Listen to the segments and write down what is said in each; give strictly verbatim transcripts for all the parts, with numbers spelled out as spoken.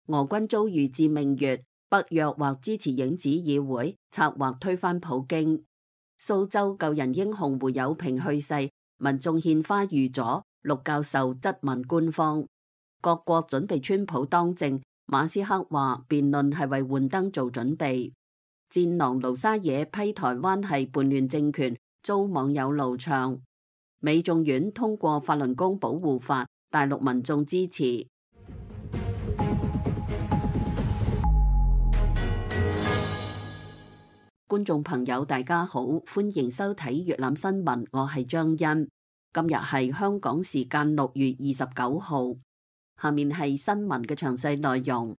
俄軍遭遇致命月，北約或支持影子議會策劃推翻普京。蘇州救人英雄胡友平去世，民眾獻花預佐，陸教授質問官方。各國準備川普當政，馬斯克話辯論係為換燈做準備。戰狼盧沙野批台灣係叛亂政權，遭網友怒唱。美眾院通過法輪功保護法，大陸民眾支持。觀眾朋友大家好，歡迎收睇粵覽新聞，我係張欣。今日係香港時間六月二十九號，下面係新聞嘅詳細內容。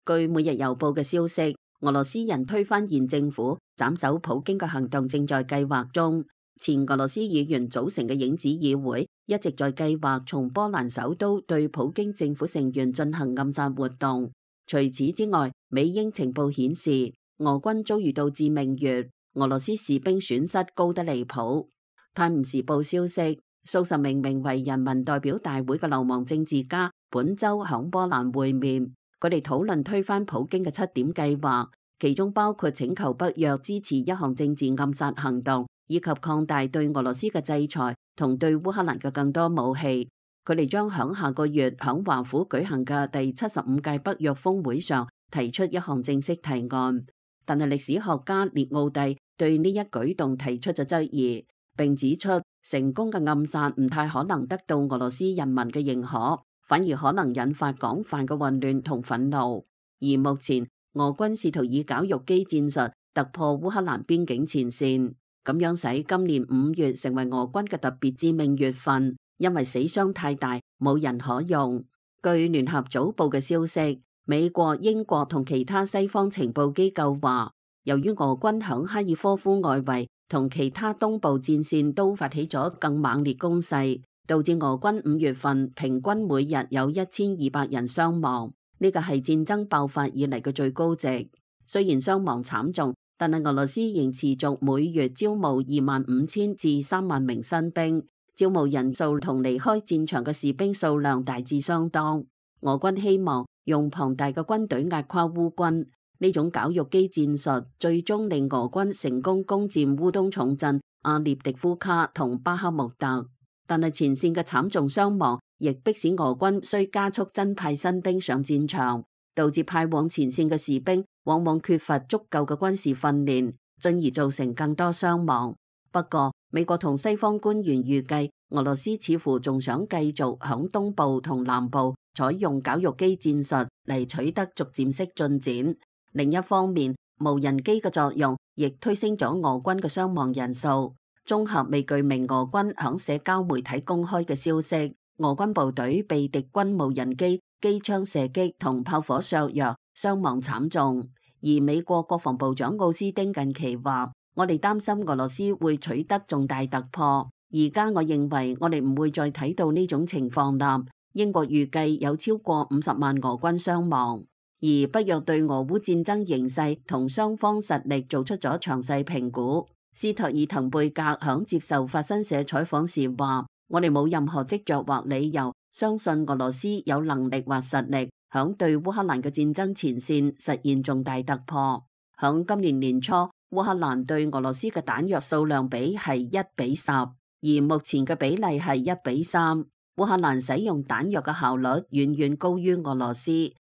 據每日郵報嘅消息，俄羅斯人推翻現政府、斬首普京嘅行動正在計劃中。前俄羅斯議員組成嘅影子議會一直在計劃從波蘭首都對普京政府成員進行暗殺活動。除此之外，美英情報顯示，俄軍遭遇到致命月，俄羅斯士兵損失高得離譜。泰晤士報消息，數十名名為人民代表大會嘅流亡政治家本周響波蘭會面，佢哋討論推翻普京嘅七點計劃，其中包括請求北約支持一項政治暗殺行動，以及擴大對俄羅斯嘅制裁同對烏克蘭嘅更多武器。佢哋將響下個月響華府舉行嘅第七十五屆北約峰會上提出一項正式提案，但係歷史學家列奧蒂對呢一舉動提出咗質疑，並指出成功嘅暗殺唔太可能得到俄羅斯人民嘅認可，反而可能引發廣泛嘅混亂同憤怒。而目前俄軍試圖以絞肉機戰術突破烏克蘭邊境前線，咁樣使今年五月成為俄軍嘅特別致命月份。因為死傷太大，冇人可用。據聯合早報嘅消息，美國、英國同其他西方情報機構話，由於俄軍響哈爾科夫外圍同其他東部戰線都發起咗更猛烈攻勢，導致俄軍五月份平均每日有一千二百人傷亡，呢個係戰爭爆發以嚟嘅最高值。雖然傷亡慘重，但係俄羅斯仍持續每月招募二萬五千至三萬名新兵。招募人數同離開戰場嘅士兵數量大致相當。俄軍希望用龐大嘅軍隊壓垮烏軍，呢種絞肉機戰術最終令俄軍成功攻佔烏東重鎮阿列迪夫卡同巴克穆特。但係前線嘅慘重傷亡亦迫使俄軍需加速增派新兵上戰場，導致派往前線嘅士兵往往缺乏足夠嘅軍事訓練，進而造成更多傷亡。不過，美國同西方官員預計，俄羅斯似乎仲想繼續響東部同南部採用絞肉機戰術嚟取得逐漸式進展。另一方面，無人機嘅作用亦推升咗俄軍嘅傷亡人數。綜合未具名俄軍響社交媒體公開嘅消息，俄軍部隊被敵軍無人機機槍射擊同炮火削弱，傷亡慘重。而美國國防部長奧斯汀近期話，我哋擔心俄羅斯會取得重大突破，而家我認為我哋唔會再睇到呢種情況啦。英國預計有超過五十萬俄軍傷亡，而北約對俄烏戰爭形勢同雙方實力做出咗詳細評估。斯托爾滕貝格響接受法新社採訪時話，我哋冇任何跡象或理由相信俄羅斯有能力或實力響對烏克蘭嘅戰爭前線實現重大突破。響今年年初，烏克蘭對俄羅斯嘅彈藥數量比係一比十，而目前嘅比例係一比三。烏克蘭使用彈藥嘅效率遠遠高於俄羅斯，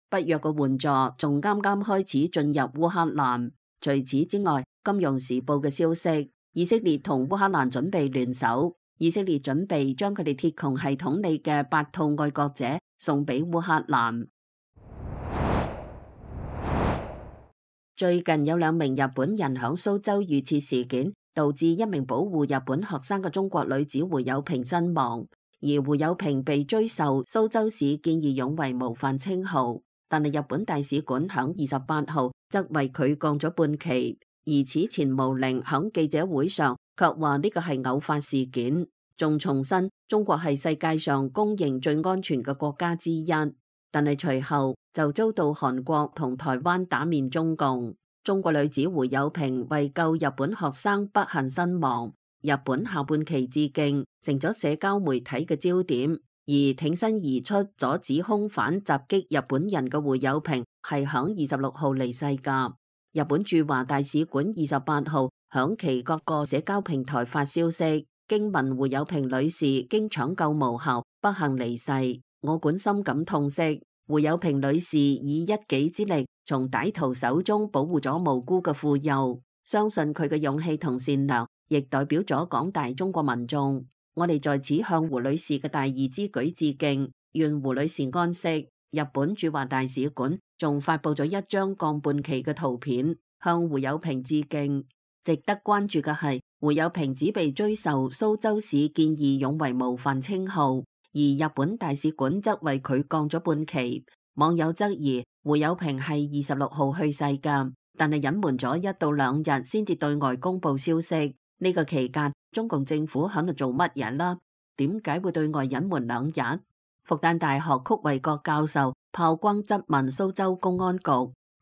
北約嘅援助仲啱啱開始進入烏克蘭。除此之外，金融時報嘅消息，以色列同烏克蘭準備聯手，以色列準備將佢哋鐵穹系統裏嘅八套愛國者送俾烏克蘭。最近有兩名日本人響蘇州遇刺事件，導致一名保護日本學生嘅中國女子胡友平身亡，而胡友平被追授蘇州市見義勇為模範稱號，但係日本大使館響二十八號則為佢降咗半旗，而此前毛寧響記者會上卻話呢個係偶發事件，仲重申中國係世界上公認最安全嘅國家之一。但係隨後就遭到韓國同台灣打面中共。中國女子胡友平為救日本學生不幸身亡，日本下半旗致敬成咗社交媒體嘅焦點。而挺身而出阻止兇犯襲擊日本人嘅胡友平係響二十六號離世㗎。日本駐華大使館二十八號響其各個社交平台發消息，驚聞胡友平女士經搶救無效不幸離世，我館深感痛惜。胡友平女士以一己之力從歹徒手中保護咗無辜嘅婦幼，相信佢嘅勇氣同善良亦代表咗廣大中國民眾。我哋在此向胡女士嘅大義之舉致敬，願胡女士安息。日本駐華大使館仲發佈咗一張降半旗嘅圖片，向胡友平致敬。值得關注嘅係，胡友平只被追授蘇州市見義勇為模範稱號，而日本大使館則為佢降咗半旗。網友質疑胡友平係二十六號去世㗎，但係隱瞞咗一到兩日先至對外公佈消息。呢個期間，中共政府喺度做乜嘢啦？點解會對外隱瞞兩日？復旦大學曲衛國教授炮轟質問蘇州公安局，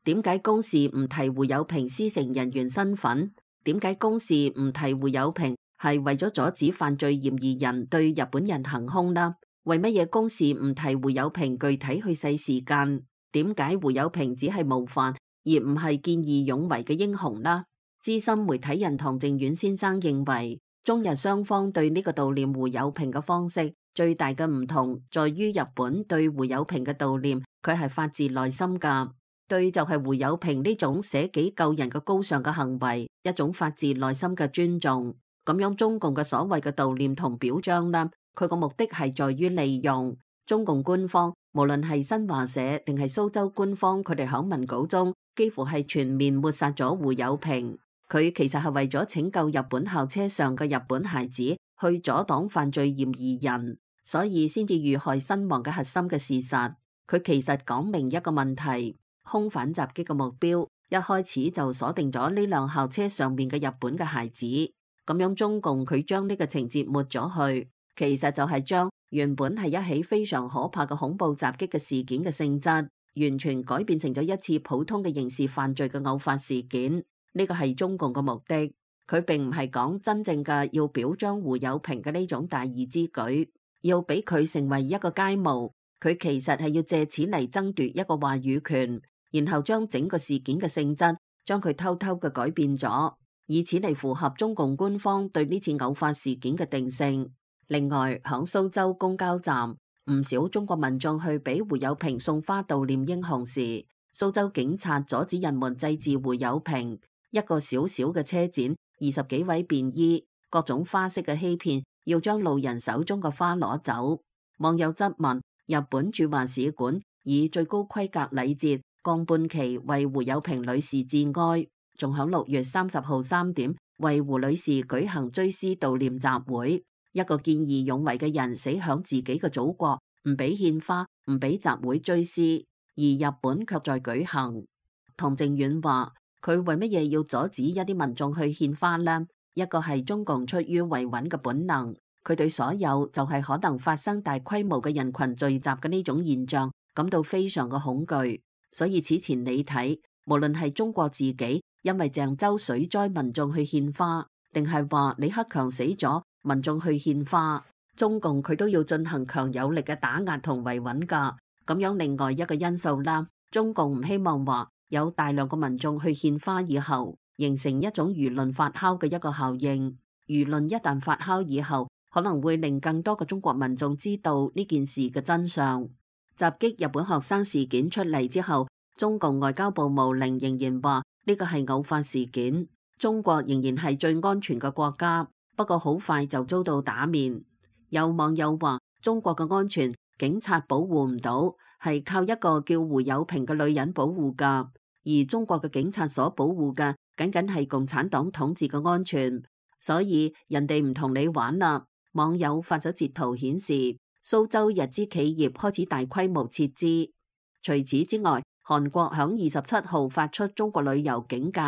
點解公示唔提胡友平師承人員身份？點解公示唔提胡友平係為咗阻止犯罪嫌疑人對日本人行兇啦？為乜嘢公示唔提胡友平具體去世時間？點解胡友平只係模範而唔係見義勇為嘅英雄啦？資深媒體人唐靖遠先生認為，中日雙方對呢個悼念胡友平嘅方式最大嘅唔同，在於日本對胡友平嘅悼念，佢係發自內心噶，對就係胡友平呢種捨己救人嘅高尚嘅行為，一種發自內心嘅尊重。咁樣中共嘅所謂嘅悼念同表彰啦，佢個目的係在於利用中共官方，無論係新華社定係蘇州官方，佢哋響文稿中幾乎係全面抹殺咗胡友平。佢其實係為咗拯救日本校車上嘅日本孩子，去阻擋犯罪嫌疑人，所以先至遇害身亡嘅核心嘅事實。佢其實講明一個問題，兇犯襲擊嘅目標一開始就鎖定咗呢輛校車上面嘅日本嘅孩子。咁樣中共佢將呢個情節抹咗去，其實就係將原本係一起非常可怕嘅恐怖襲擊嘅事件嘅性質，完全改變成咗一次普通嘅刑事犯罪嘅偶發事件。呢個係中共嘅目的，佢並唔係講真正嘅要表彰胡友平嘅呢種大義之舉，要俾佢成為一個楷模。佢其實係要借此嚟爭奪一個話語權，然後將整個事件嘅性質將佢偷偷嘅改變咗，以此嚟符合中共官方對呢次偶發事件嘅定性。另外，響蘇州公交站，唔少中國民眾去俾胡友平送花悼念英雄時，蘇州警察阻止人們祭祀胡友平。一個小小嘅車展，二十幾位便衣，各種花式嘅欺騙，要將路人手中嘅花攞走。網友質問日本駐華使館以最高規格禮節降半旗為胡友平女士致哀，仲響六月三十號三點為胡女士舉行追思悼念集會。一個見義勇為嘅人死響自己嘅祖國，唔俾獻花，唔俾集會追思，而日本卻在舉行。唐靖遠話，佢為乜嘢要阻止一啲民眾去獻花呢？一個係中共出於維穩嘅本能，佢對所有就係可能發生大規模嘅人群聚集嘅呢種現象感到非常嘅恐懼。所以此前你睇，無論係中國自己因為鄭州水災民眾去獻花，定係話李克強死咗民眾去獻花，中共佢都要進行強有力嘅打壓同維穩噶。咁樣另外一個因素啦，中共唔希望話有大量嘅民眾去獻花以後，形成一種輿論發酵嘅一個效應。輿論一旦發酵以後，可能會令更多嘅中國民眾知道呢件事嘅真相。襲擊日本學生事件出嚟之後，中共外交部毛寧仍然話呢個係偶發事件，中國仍然係最安全嘅國家。不過好快就遭到打面。有網友話中國嘅安全警察保護唔到，係靠一個叫胡友平嘅女人保護噶。而中國嘅警察所保護嘅，僅僅係共產黨統治嘅安全，所以人哋唔同你玩啦。網友發咗截圖顯示，蘇州日資企業開始大規模撤資。除此之外，韓國響二十七號發出中國旅遊警戒，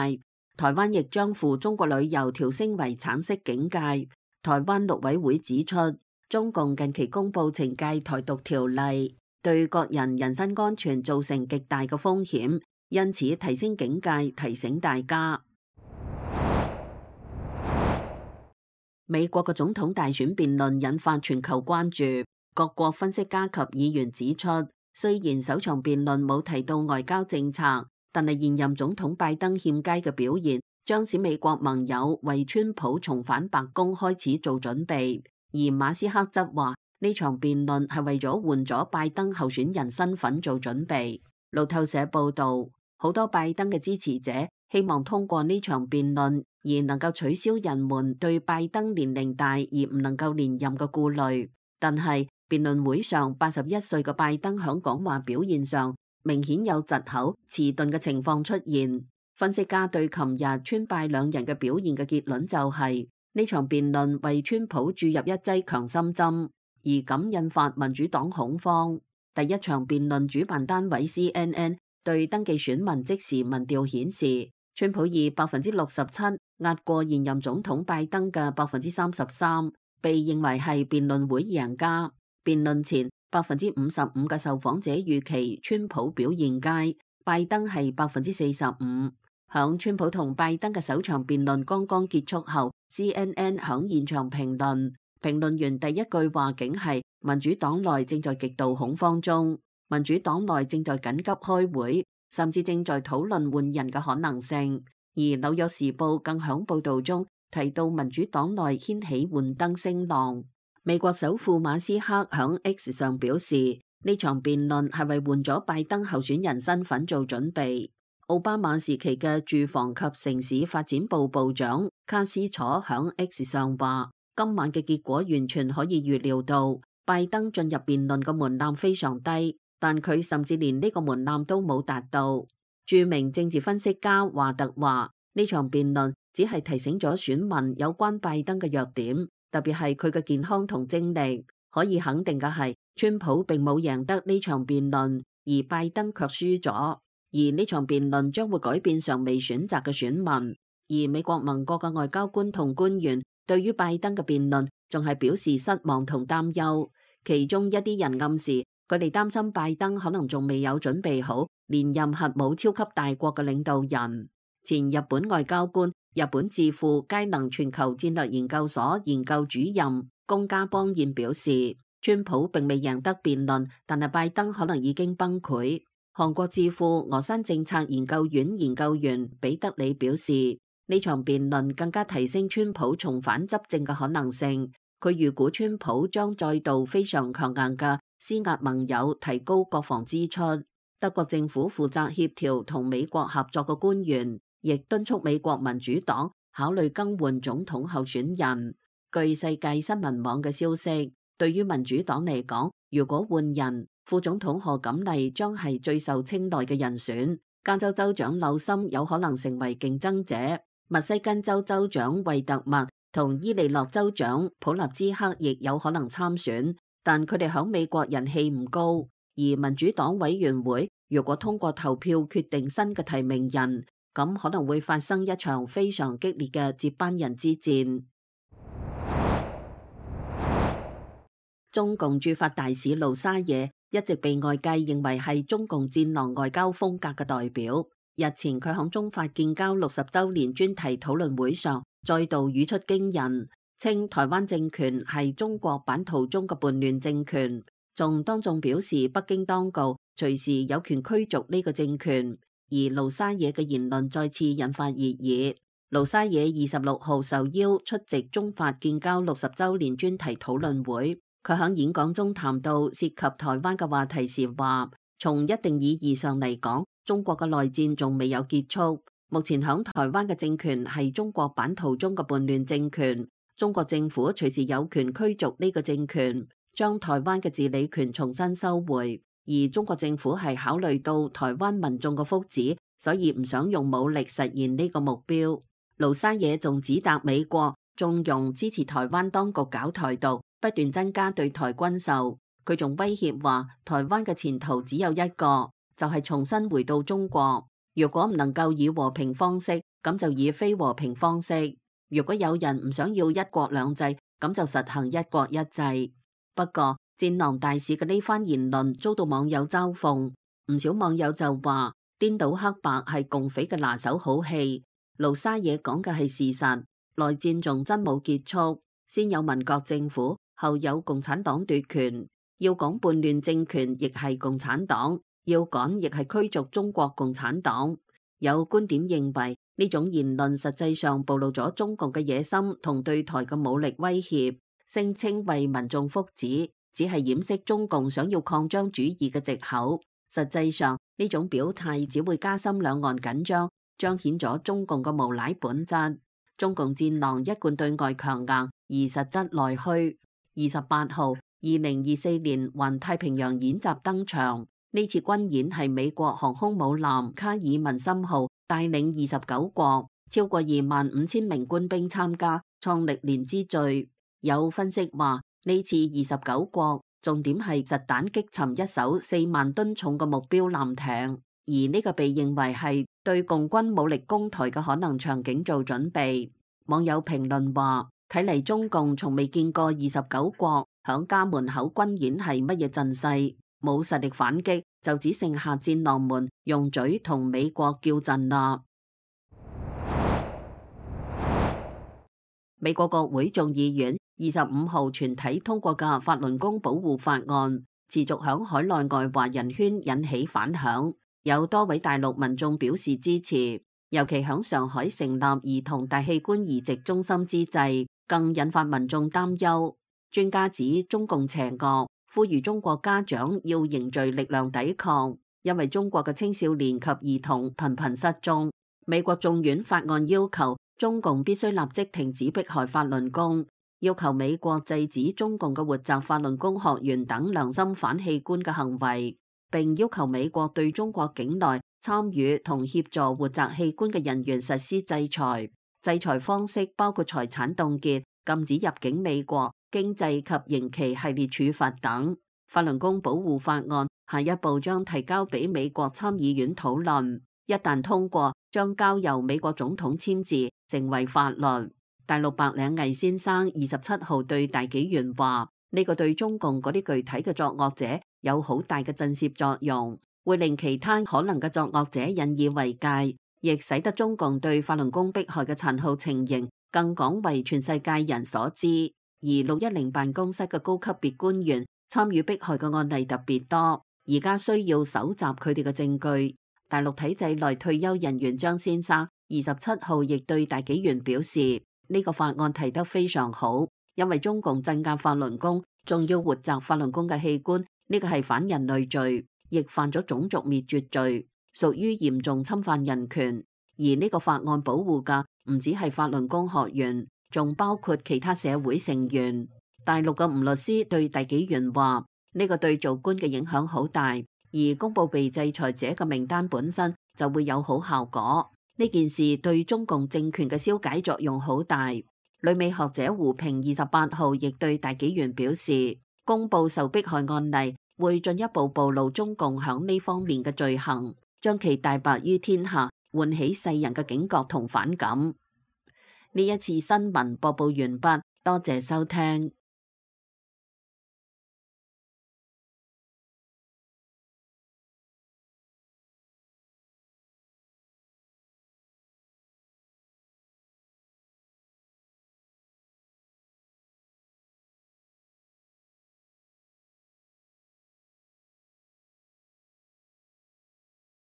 台灣亦將赴中國旅遊調升為橙色警戒。台灣陸委會指出，中共近期公布懲戒台獨條例，對個人人身安全造成極大嘅風險。因此提升警戒，提醒大家。美國嘅總統大選辯論引發全球關注。各國分析家及議員指出，雖然首場辯論冇提到外交政策，但係現任總統拜登欠佳嘅表現，將使美國盟友為川普重返白宮開始做準備。而馬斯克則話呢場辯論係為咗換咗拜登候選人身份做準備。路透社報道，好多拜登嘅支持者希望通過呢場辯論而能夠取消人們對拜登年齡大而唔能夠連任嘅顧慮。但係辯論會上八十一歲嘅拜登響講話表現上明顯有窒口、遲鈍嘅情況出現。分析家對琴日川拜兩人嘅表現嘅結論就係、是、呢場辯論為川普注入一劑強心針，而咁引發民主黨恐慌。第一場辯論主辦單位 C N N 對登記選民即時民調顯示，川普以百分之六十七壓過現任總統拜登嘅百分之三十三，被認為係辯論會贏家。辯論前百分之五十五嘅受訪者預期川普表現佳，拜登係百分之四十五。響川普同拜登嘅首場辯論剛剛結束後 ，C N N 響現場評論，評論員第一句話竟係民主黨內正在極度恐慌中，民主黨內正在緊急開會，甚至正在討論換人嘅可能性。而紐約時報更響報道中提到民主黨內掀起換燈聲浪。美國首富馬斯克響 X 上表示，呢場辯論係為換咗拜登候選人身份做準備。奧巴馬時期嘅住房及城市發展部部長卡斯楚響 X 上話，今晚嘅結果完全可以預料到，拜登進入辯論嘅門檻非常低，但佢甚至連呢個門檻都冇達到。著名政治分析家華特話，呢場辯論只係提醒咗選民有關拜登嘅弱點，特別係佢嘅健康同精力。可以肯定嘅係，川普並冇贏得呢場辯論，而拜登卻輸咗。而呢場辯論將會改變尚未選擇嘅選民。而美國盟國嘅外交官同官員對於拜登嘅辯論仲係表示失望同擔憂。其中一啲人暗示佢哋擔心拜登可能仲未有準備好連任核武超級大國嘅領導人。前日本外交官、日本智庫佳能全球戰略研究所研究主任宮家邦彥表示，川普並未贏得辯論，但係拜登可能已經崩潰。韓國智庫峨山政策研究院研究員彼得里表示，呢場辯論更加提升川普重返執政嘅可能性。佢預估川普將再度非常強硬嘅施壓盟友提高國防支出。德國政府負責協調同美國合作嘅官員亦敦促美國民主黨考慮更換總統候選人。據世界新聞網嘅消息，對於民主黨嚟講，如果換人，副總統賀錦麗將係最受青睞嘅人選，加州州長紐森有可能成為競爭者，密西根州州長惠特默同伊利諾州長普立茲克亦有可能參選，但佢哋響美國人氣唔高。而民主黨委員會如果通過投票決定新嘅提名人，咁可能會發生一場非常激烈嘅接班人之戰。中共駐法大使盧沙野一直被外界認為係中共戰狼外交風格嘅代表。日前佢響中法建交六十周年專題討論會上，再度語出驚人，稱台灣政權係中國版圖中嘅叛亂政權，仲當眾表示北京當局隨時有權驅逐呢個政權。而盧沙野嘅言論再次引發熱議。盧沙野二十六號受邀出席中法建交六十周年專題討論會。佢喺演講中談到涉及台灣嘅話題時話，從一定意義上嚟講，中國嘅內戰仲未有結束。目前喺台灣嘅政權係中國版圖中嘅叛亂政權，中國政府隨時有權驅逐呢個政權，將台灣嘅治理權重新收回。而中國政府係考慮到台灣民眾嘅福祉，所以唔想用武力實現呢個目標。盧沙野仲指責美國縱容支持台灣當局搞台獨，不斷增加對台軍售。佢仲威脅話，台灣嘅前途只有一個，就係重新回到中國。如果唔能夠以和平方式，咁就以非和平方式。如果有人唔想要一國兩制，咁就實行一國一制。不過戰狼大使嘅呢番言論遭到網友嘲諷，唔少網友就話顛倒黑白係共匪嘅拿手好戲。盧沙野講嘅係事實，內戰仲真冇結束，先有民國政府，後有共產黨奪權。要講叛亂政權亦係共產黨，要趕亦係驅逐中國共產黨。有觀點認為呢種言論實際上暴露咗中共嘅野心同對台嘅武力威脅，聲稱為民眾福祉，只係掩飾中共想要擴張主義嘅藉口。實際上呢種表態只會加深兩岸緊張，彰顯咗中共嘅無賴本質。中共戰狼一貫對外強硬，而實質內虛。二十八號，二零二四年環太平洋演習登場。呢次軍演係美國航空母艦卡爾文森號帶領二十九國超過二萬五千名官兵參加，創歷年之最。有分析話，呢次二十九國重點係實彈擊沉一艘四萬噸重嘅目標艦艇，而呢個被認為係對共軍武力攻台嘅可能場景做準備。網友評論話，睇嚟中共從未見過二十九國響家門口軍演係乜嘢陣勢。冇實力反擊，就只剩下戰狼們用嘴同美國叫陣啦。美國國會眾議院二十五號全體通過嘅法輪功保護法案，持續響海內外華人圈引起反響，有多位大陸民眾表示支持，尤其響上海成立兒童大器官移植中心之際，更引發民眾擔憂。專家指中共邪惡，呼籲中國家長要凝聚力量抵抗，因為中國嘅青少年及兒童頻頻失蹤。美國眾院法案要求中共必須立即停止迫害法輪功，要求美國制止中共嘅活摘法輪功學員等良心反器官嘅行為，並要求美國對中國境內參與同協助活摘器官嘅人員實施制裁。制裁方式包括財產凍結、禁止入境美國、經濟及刑期系列處罰等。法輪功保護法案下一步將提交俾美國參議院討論，一旦通過，將交由美國總統簽字，成為法律。大陸白領魏先生二十七號對大紀元話：呢個對中共嗰啲具體嘅作惡者有好大嘅震懾作用，會令其他可能嘅作惡者引以為戒，亦使得中共對法輪功迫害嘅殘酷情形更廣為全世界人所知。而六一零辦公室嘅高級別官員參與迫害嘅案例特別多，而家需要搜集佢哋嘅證據。大陸體制內退休人員張先生二十七號亦對大紀元表示，呢個法案提得非常好，因為中共鎮壓法輪功，仲要活摘法輪功嘅器官，呢個係反人類罪，亦犯咗種族滅絕罪，屬於嚴重侵犯人權。而呢個法案保護嘅唔止係法輪功學員，仲包括其他社會成員。大陸嘅吳律師對大紀元話：呢個對做官嘅影響好大，而公布被制裁者嘅名單本身就會有好效果。呢件事對中共政權嘅消解作用好大。旅美學者胡平二十八號亦對大紀元表示，公布受迫害案例會進一步暴露中共響呢方面嘅罪行，將其大白於天下，喚起世人嘅警覺同反感。呢一次新聞播報完畢，多謝收聽。